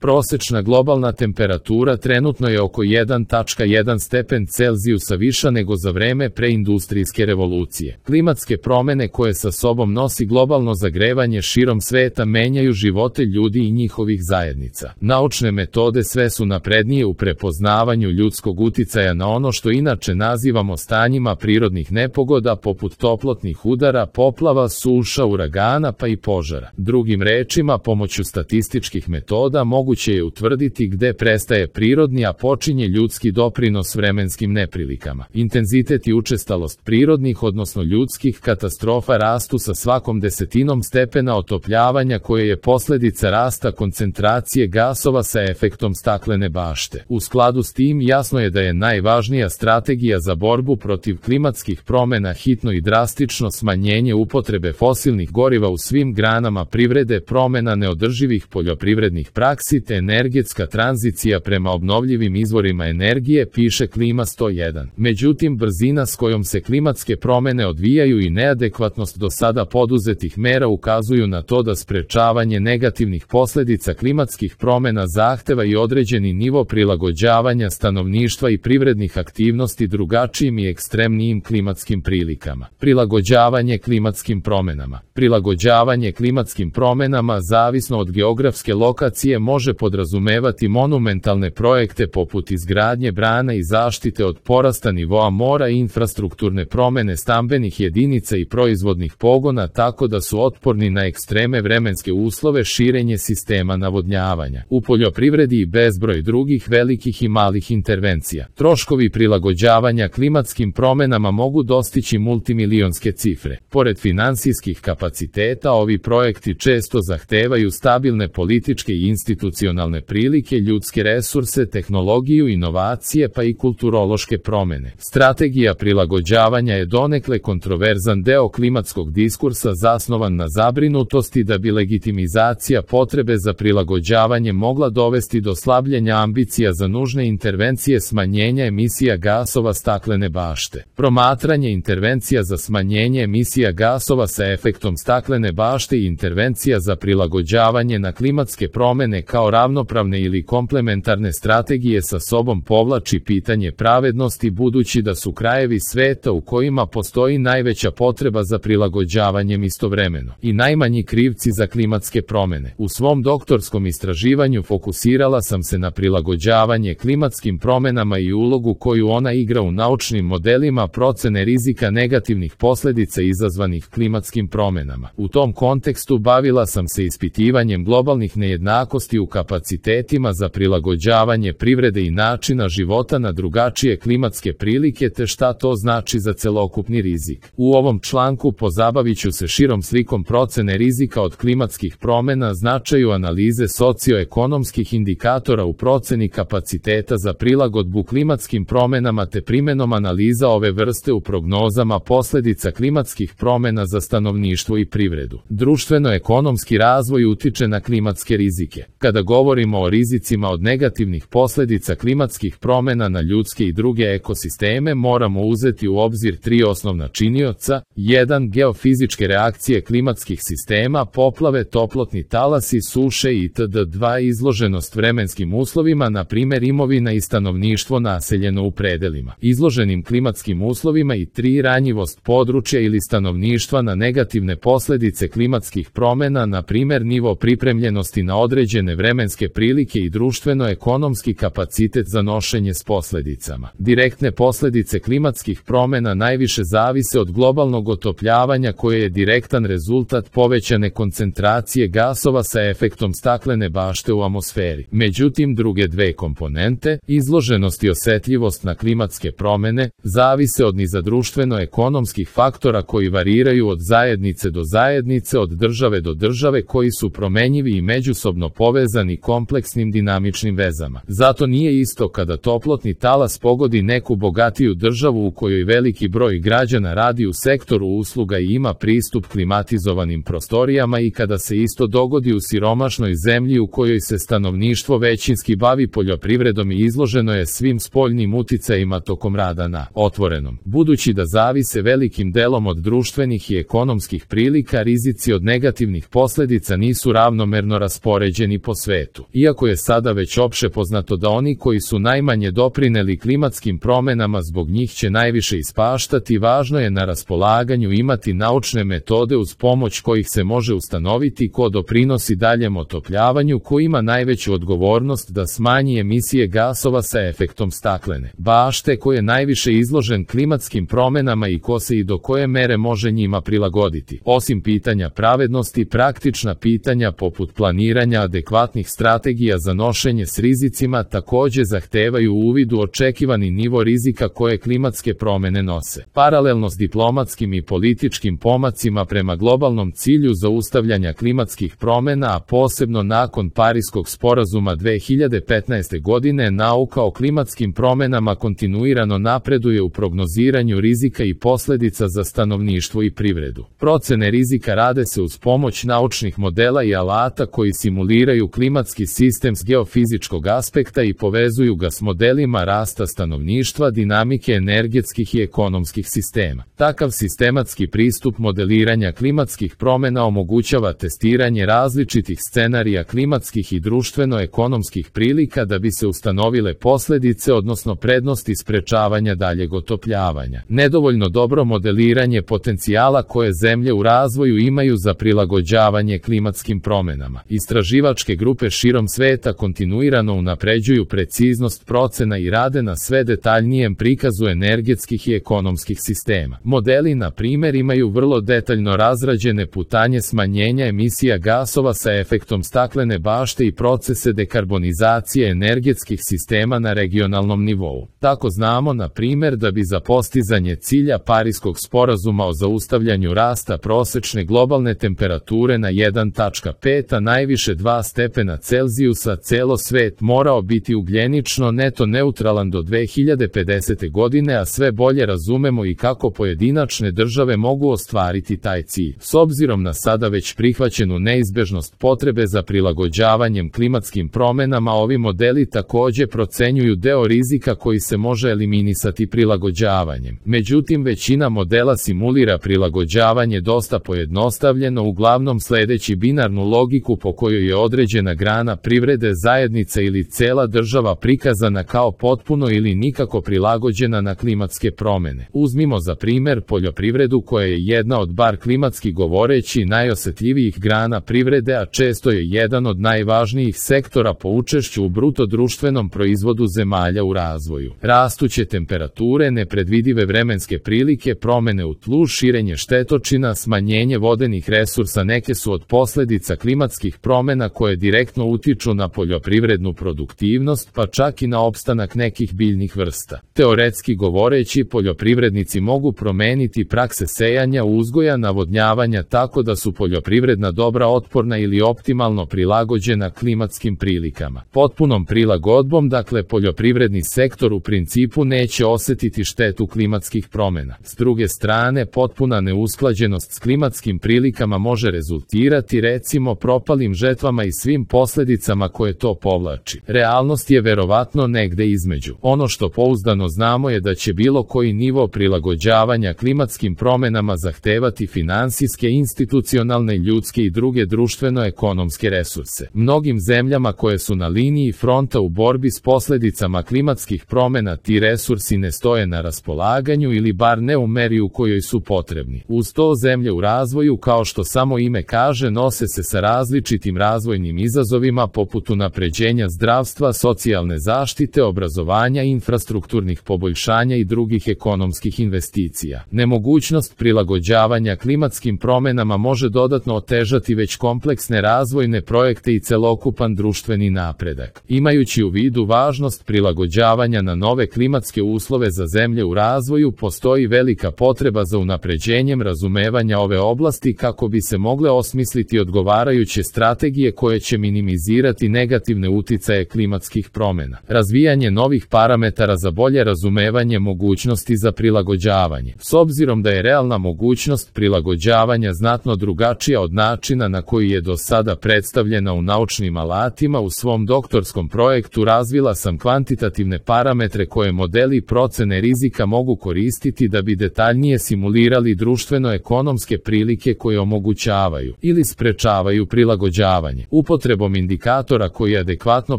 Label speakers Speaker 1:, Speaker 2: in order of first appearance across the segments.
Speaker 1: Prosečna globalna temperatura trenutno je oko 1,1 stepen Celzijusa viša nego za vreme preindustrijske revolucije. Klimatske promene koje sa sobom nosi globalno zagrevanje širom sveta menjaju živote ljudi i njihovih zajednica. Naučne metode sve su naprednije u prepoznavanju ljudskog uticaja na ono što inače nazivamo stanjima prirodnih nepogoda poput toplotnih udara, poplava, suša, uragana pa i požara. Drugim rečima, pomoću statističkih metoda moguće je utvrditi gde prestaje prirodni, a počinje ljudski doprinos vremenskim neprilikama. Intenzitet i učestalost prirodnih, odnosno ljudskih katastrofa rastu sa svakom desetinom stepena otopljavanja koje je posledica rasta koncentracije gasova sa efektom staklene bašte. U skladu s tim jasno je da je najvažnija strategija za borbu protiv klimatskih promena hitno i drastično smanjenje upotrebe fosilnih goriva u svim granama privrede, promena neodrživih poljoprivrednih praksi te energetska tranzicija prema obnovljivim izvorima energije, piše Klima 101. Međutim, brzina s kojom se klimatske promene odvijaju i neadekvatnost do sada poduzetih mera ukazuju na to da sprečavanje negativnih posledica klimatskih promena zahteva i određeni nivo prilagođavanja stanovništva i privrednih aktivnosti drugačijim i ekstremnijim klimatskim prilikama. Prilagođavanje klimatskim promenama. Prilagođavanje klimatskim promenama, zavisno od geografske lokacije, može podrazumevati monumentalne projekte poput izgradnje brana i zaštite od porasta nivoa mora i infrastrukturne promene stambenih jedinica i proizvodnih pogona tako da su otporni na ekstreme vremenske uslove, širenje sistema navodnjavanja. U poljoprivredi i bezbroj drugih velikih i malih intervencija. Troškovi prilagođavanja klimatskim promenama mogu dostići multimilionske cifre. Pored finansijskih kapaciteta, ovi projekti često zahtevaju stabilne političke i institucionalne prilike, ljudske resurse, tehnologiju, inovacije pa i kulturološke promene. Strategija prilagođavanja je donekle kontroverzan deo klimatskog diskursa zasnovan na zabrinutosti da bi legitimizacija potrebe za prilagođavanje mogla dovesti do slabljenja ambicija za nužne intervencije smanjenja emisija gasova staklene bašte. Promatranje intervencija za smanjenje emisija gasova sa efektom staklene bašte i intervencija za prilagođavanje na klimatske promene kao ravnopravne ili komplementarne strategije sa sobom povlači pitanje pravednosti, budući da su krajevi sveta u kojima postoji najveća potreba za prilagođavanjem istovremeno i najmanji krivci za klimatske promene. U svom doktorskom istraživanju fokusirala sam se na prilagođavanje klimatskim promenama i ulogu koju ona igra u naučnim modelima procene rizika negativnih posledica izazvanih klimatskim promenama. U tom kontekstu bavila sam se ispitivanjem globalnih nejednakosti u kapacitetima za prilagođavanje privrede i načina života na drugačije klimatske prilike te šta to znači za celokupni rizik. U ovom članku pozabavit ću se širom slikom procene rizika od klimatskih promena, značaju analize socioekonomskih indikatora u proceni kapaciteta za prilagodbu klimatskim promenama te primenom analiza ove vrste u prognozama posledica klimatskih promena za stanovništvo i privredu. Društveno-ekonomski razvoj utiče na klimatske rizike. Kada govorimo o rizicima od negativnih posledica klimatskih promena na ljudske i druge ekosisteme, moramo uzeti u obzir tri osnovna činioca: 1. Geofizičke reakcije klimatskih sistema, poplave, toplotni talasi, suše itd. 2. Izloženost vremenskim uslovima, na primjer imovina i stanovništvo naseljeno u predelima izloženim klimatskim uslovima i 3. Ranjivost područja ili stanovništva na negativne posledice klimatskih promena, na primjer nivo pripremljenosti na određene vremenske prilike i društveno-ekonomski kapacitet za nošenje s posledicama. Direktne posledice klimatskih promena najviše zavise od globalnog otopljavanja koje je direktan rezultat povećane koncentracije gasova sa efektom staklene bašte u atmosferi. Međutim, druge dve komponente, izloženost i osetljivost na klimatske promene, zavise od niza društveno-ekonomskih faktora koji variraju od zajednice do zajednice, od države do države, koji su promenjivi i međusobno povezani kompleksnim dinamičnim vezama. Zato nije isto kada toplotni talas pogodi neku bogatiju državu u kojoj veliki broj građana radi u sektoru usluga i ima pristup klimatizovanim prostorijama i kada se isto dogodi u siromašnoj zemlji u kojoj se stanovništvo većinski bavi poljoprivredom i izloženo je svim spoljnim uticajima tokom rada na otvorenom. Budući da zavise velikim delom od društvenih i ekonomskih prilika, rizici od negativnih posledica nisu ravnomerno raspoređeni po svetu. svetu. Iako je sada već opšte poznato da oni koji su najmanje doprineli klimatskim promenama zbog njih će najviše ispaštati, važno je na raspolaganju imati naučne metode uz pomoć kojih se može ustanoviti ko doprinosi daljem otopljavanju, ko ima najveću odgovornost da smanji emisije gasova sa efektom staklene bašte, ko je najviše izložen klimatskim promenama i ko se i do koje mere može njima prilagoditi. Osim pitanja pravednosti, praktična pitanja poput planiranja adekvatnih strategija za nošenje s rizicima takođe zahtevaju uvid u očekivani nivo rizika koje klimatske promene nose. Paralelno s diplomatskim i političkim pomacima prema globalnom cilju zaustavljanja klimatskih promena, a posebno nakon Pariskog sporazuma 2015. godine, nauka o klimatskim promenama kontinuirano napreduje u prognoziranju rizika i posledica za stanovništvo i privredu. Procene rizika rade se uz pomoć naučnih modela i alata koji simuliraju klimatski sistem s geofizičkog aspekta i povezuju ga s modelima rasta stanovništva, dinamike energetskih i ekonomskih sistema. Takav sistematski pristup modeliranja klimatskih promena omogućava testiranje različitih scenarija klimatskih i društveno-ekonomskih prilika da bi se ustanovile posledice, odnosno prednosti sprečavanja daljeg otopljavanja. Nedovoljno dobro modeliranje potencijala koje zemlje u razvoju imaju za prilagođavanje klimatskim promenama. Istraživačke grupe širom sveta kontinuirano unapređuju preciznost procena i rade na sve detaljnijem prikazu energetskih i ekonomskih sistema. Modeli, na primjer, imaju vrlo detaljno razrađene putanje smanjenja emisija gasova sa efektom staklene bašte i procese dekarbonizacije energetskih sistema na regionalnom nivou. Tako znamo, na primjer, da bi za postizanje cilja Pariskog sporazuma o zaustavljanju rasta prosečne globalne temperature na 1,5 a najviše 2 stepena Celzijusa celo svet morao biti ugljenično neto neutralan do 2050. godine, a sve bolje razumemo i kako pojedinačne države mogu ostvariti taj cilj. S obzirom na sada već prihvaćenu neizbežnost potrebe za prilagođavanjem klimatskim promenama, ovi modeli takođe procenjuju deo rizika koji se može eliminisati prilagođavanjem. Međutim, većina modela simulira prilagođavanje dosta pojednostavljeno, uglavnom sledeći binarnu logiku po kojoj je određena grana privrede, zajednica ili cela država prikazana kao potpuno ili nikako prilagođena na klimatske promene. Uzmimo za primer poljoprivredu, koja je jedna od, bar klimatski govoreći, najosetljivijih grana privrede, a često je jedan od najvažnijih sektora po učešću u bruto društvenom proizvodu zemalja u razvoju. Rastuće temperature, nepredvidive vremenske prilike, promene u tlu, širenje štetočina, smanjenje vodenih resursa neke su od posledica klimatskih promena koje direktno utiču na poljoprivrednu produktivnost, pa čak i na opstanak nekih biljnih vrsta. Teoretski govoreći, poljoprivrednici mogu promeniti prakse sejanja, uzgoja, navodnjavanja tako da su poljoprivredna dobra otporna ili optimalno prilagođena klimatskim prilikama. Potpunom prilagodbom, dakle, poljoprivredni sektor u principu neće osetiti štetu klimatskih promena. S druge strane, potpuna neusklađenost s klimatskim prilikama može rezultirati, recimo, propalim žetvama i svim posledicama koje to povlači. Realnost je verovatno negde između. Ono što pouzdano znamo je da će bilo koji nivo prilagođavanja klimatskim promenama zahtevati finansijske, institucionalne, ljudske i druge društveno-ekonomske resurse. Mnogim zemljama koje su na liniji fronta u borbi s posledicama klimatskih promena ti resursi ne stoje na raspolaganju ili bar ne u meri u kojoj su potrebni. Uz to, zemlje u razvoju, kao što samo ime kaže, nose se sa različitim razvojnim izazovima poput unapređenja zdravstva, socijalne zaštite, obrazovanja, infrastrukturnih poboljšanja i drugih ekonomskih investicija. Nemogućnost prilagođavanja klimatskim promenama može dodatno otežati već kompleksne razvojne projekte i celokupan društveni napredak. Imajući u vidu važnost prilagođavanja na nove klimatske uslove za zemlje u razvoju, postoji velika potreba za unapređenjem razumevanja ove oblasti kako bi se mogle osmisliti odgovarajuće strategije koje će minimizirati negativne uticaje klimatskih promena. Razvijanje novih parametara za bolje razumevanje mogućnosti za prilagođavanje. S obzirom da je realna mogućnost prilagođavanja znatno drugačija od načina na koji je do sada predstavljena u naučnim alatima, u svom doktorskom projektu razvila sam kvantitativne parametre koje modeli procene rizika mogu koristiti da bi detaljnije simulirali društveno-ekonomske prilike koje omogućavaju ili sprečavaju prilagođavanje. Upotrebom upotrebom indikatora koji adekvatno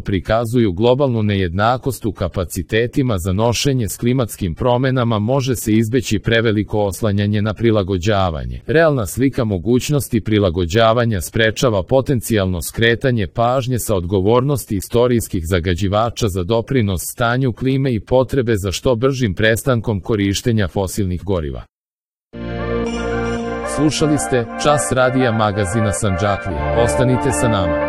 Speaker 1: prikazuju globalnu nejednakost u kapacitetima za nošenje s klimatskim promenama može se izbeći preveliko oslanjanje na prilagođavanje. Realna slika mogućnosti prilagođavanja sprečava potencijalno skretanje pažnje sa odgovornosti istorijskih zagađivača za doprinos stanju klime i potrebe za što bržim prestankom korištenja fosilnih goriva. Slušali ste Čas radija magazina Sandžaklija. Ostanite sa nama.